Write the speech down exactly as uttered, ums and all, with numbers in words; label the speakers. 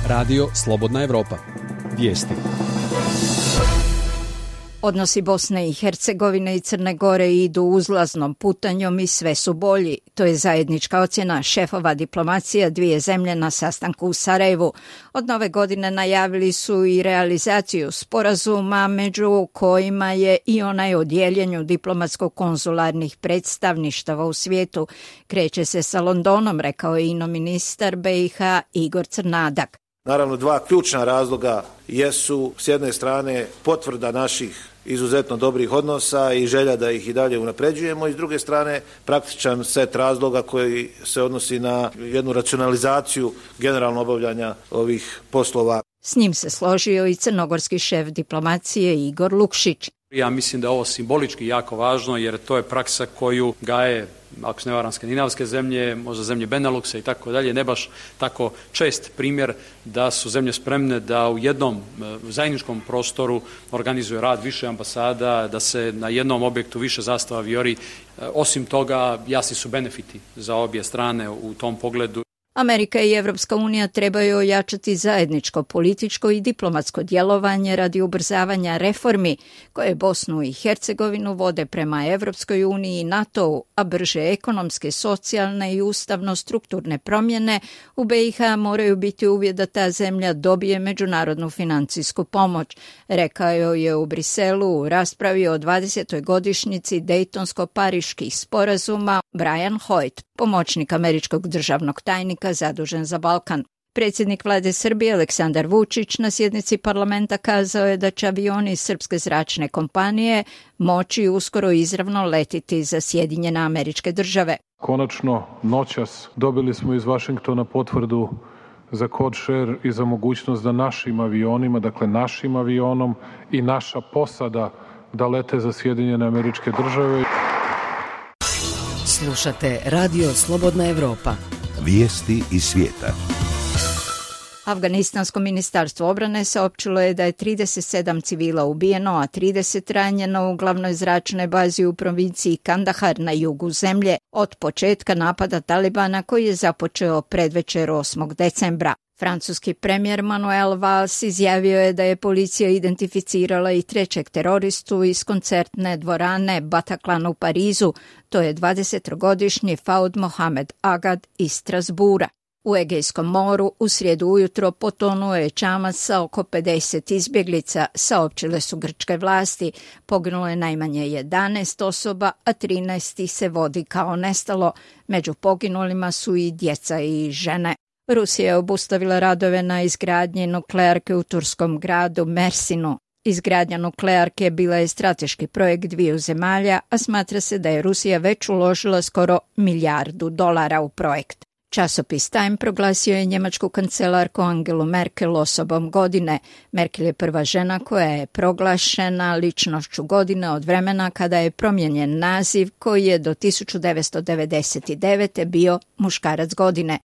Speaker 1: Radio Slobodna Evropa. Vijesti.
Speaker 2: Odnosi Bosne i Hercegovine i Crne Gore idu uzlaznom putanjom i sve su bolji. To je zajednička ocjena šefova diplomacija dvije zemlje na sastanku u Sarajevu. Od nove godine najavili su i realizaciju sporazuma, među kojima je i onaj o dijeljenju diplomatsko-konzularnih predstavništava u svijetu. Kreće se sa Londonom, rekao je ino ministar B i H Igor Crnadak.
Speaker 3: Naravno, dva ključna razloga jesu s jedne strane potvrda naših izuzetno dobrih odnosa i želja da ih i dalje unapređujemo i s druge strane praktičan set razloga koji se odnosi na jednu racionalizaciju generalno obavljanja ovih poslova.
Speaker 2: S njim se složio i crnogorski šef diplomacije Igor Lukšić.
Speaker 4: Ja mislim da je ovo simbolički jako važno jer to je praksa koju gaje, ako se ne varam, skandinavske zemlje, možda zemlje Beneluxa i tako dalje, ne baš tako čest primjer da su zemlje spremne da u jednom zajedničkom prostoru organizuje rad više ambasada, da se na jednom objektu više zastava vijori. Osim toga, jasni su benefiti za obje strane u tom pogledu.
Speaker 2: Amerika i Evropska unija trebaju ojačati zajedničko političko i diplomatsko djelovanje radi ubrzavanja reformi koje Bosnu i Hercegovinu vode prema Evropskoj uniji i NATO-u, a brže ekonomske, socijalne i ustavno-strukturne promjene u B i H moraju biti uvjet da ta zemlja dobije međunarodnu financijsku pomoć, rekao je u Briselu u raspravi o dvadesetoj godišnjici Dejtonsko-Pariških sporazuma Brian Hoyt, pomoćnik američkog državnog tajnika zadužen za Balkan. Predsjednik vlade Srbije Aleksandar Vučić na sjednici parlamenta kazao je da će avioni iz srpske zračne kompanije moći uskoro izravno letiti za Sjedinjene Američke Države.
Speaker 5: Konačno, noćas dobili smo iz Vašingtona potvrdu za code share i za mogućnost da našim avionima, dakle našim avionom i naša posada da lete za Sjedinjene Američke Države.
Speaker 6: Slušate Radio Slobodna Evropa.
Speaker 7: Vijesti iz svijeta.
Speaker 2: Afganistansko ministarstvo obrane saopćilo je da je trideset sedam civila ubijeno, a trideset ranjeno u glavnoj zračnoj bazi u provinciji Kandahar na jugu zemlje od početka napada Talibana koji je započeo predvečer osmog decembra. Francuski premijer Manuel Valls izjavio je da je policija identificirala i trećeg teroristu iz koncertne dvorane Bataclan u Parizu, to je dvadesetogodišnji Faud Mohamed Agad iz Strasbura. U Egejskom moru u srijedu ujutro potonuo je čamac sa oko pedeset izbjeglica, saopćile su grčke vlasti. Poginulo je najmanje jedanaest osoba, a trinaest ih se vodi kao nestalo. Među poginulima su i djeca i žene. Rusija je obustavila radove na izgradnji nuklearke u turskom gradu Mersinu. Izgradnja nuklearke bila je strateški projekt dviju zemalja, a smatra se da je Rusija već uložila skoro milijardu dolara u projekt. Časopis Time proglasio je njemačku kancelarku Angelu Merkel osobom godine. Merkel je prva žena koja je proglašena ličnošću godine od vremena kada je promijenjen naziv koji je do tisuću devetsto devedeset devete bio muškarac godine.